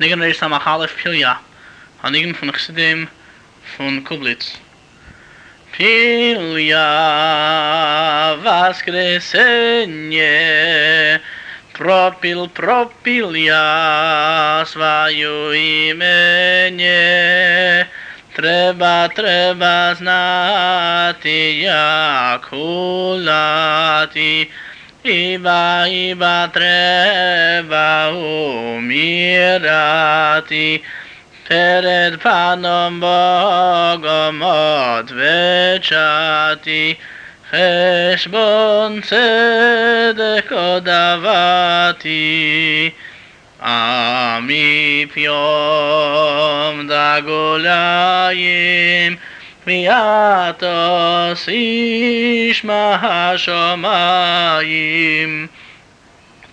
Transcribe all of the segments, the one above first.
Nigen Reish Samach Aleph Pilya. Hanigen von Chassidim von Kublitz. Pilya воскресенье, пропил я свою имение. Треба знати, як гуляти, ибо треба умирати. Перед Паном Богом отвечати, хешбон цедек одавати. А ми пьем да гуляем, вятос ишма השמיים.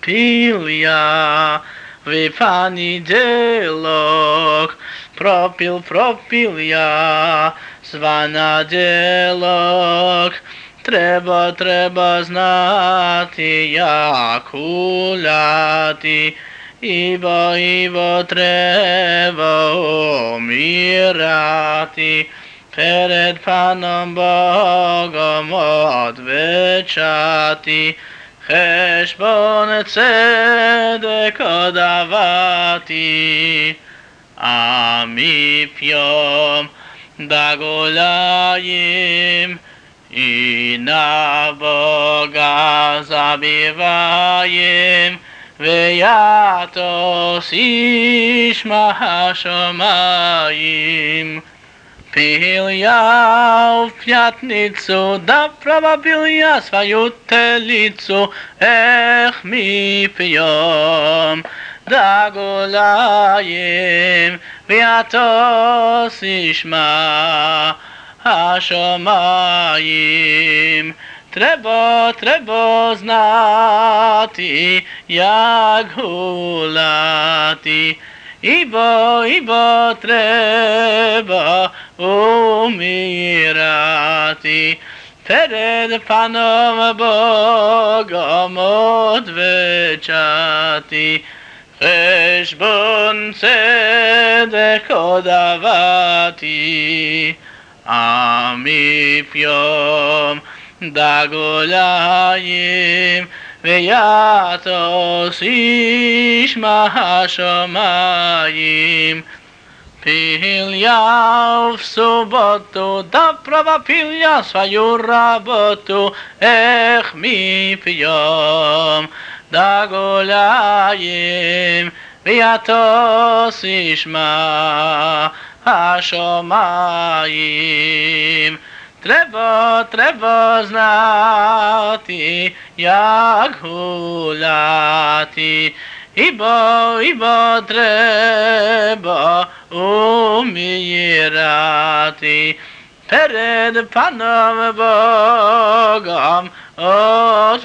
Pilya випаниделок, пропил я званаделок. Треба знати, як гуляти, ибо треба умирати. Перед Паном Богом отвечати, хешбон цедек одавати. А ми пьем да гуляем, и на Бога забиваем, вятос ишма השמיים. Pilya в пятницу, да пропил я свою телицу, эх, мы пьем да гуляем, вятос ишма השמיים. Треба знати, як гуляти, ибо треба умирати. Перед Паном Богом отвечати, хешбон цедек одавати. А ми пьем да гуляем, вятос ишма השמיים. Pilya в субботу, да пропил я свою работу, эх, мы пьем да гуляем, вятос ишма השמיים. Треба знати, як гуляти, ибо треба умирати. Перед Паном Богом отвечати,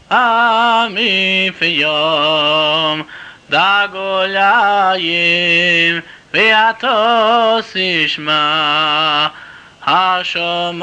а ми пьем да гуляем, вятос ишма השמיים.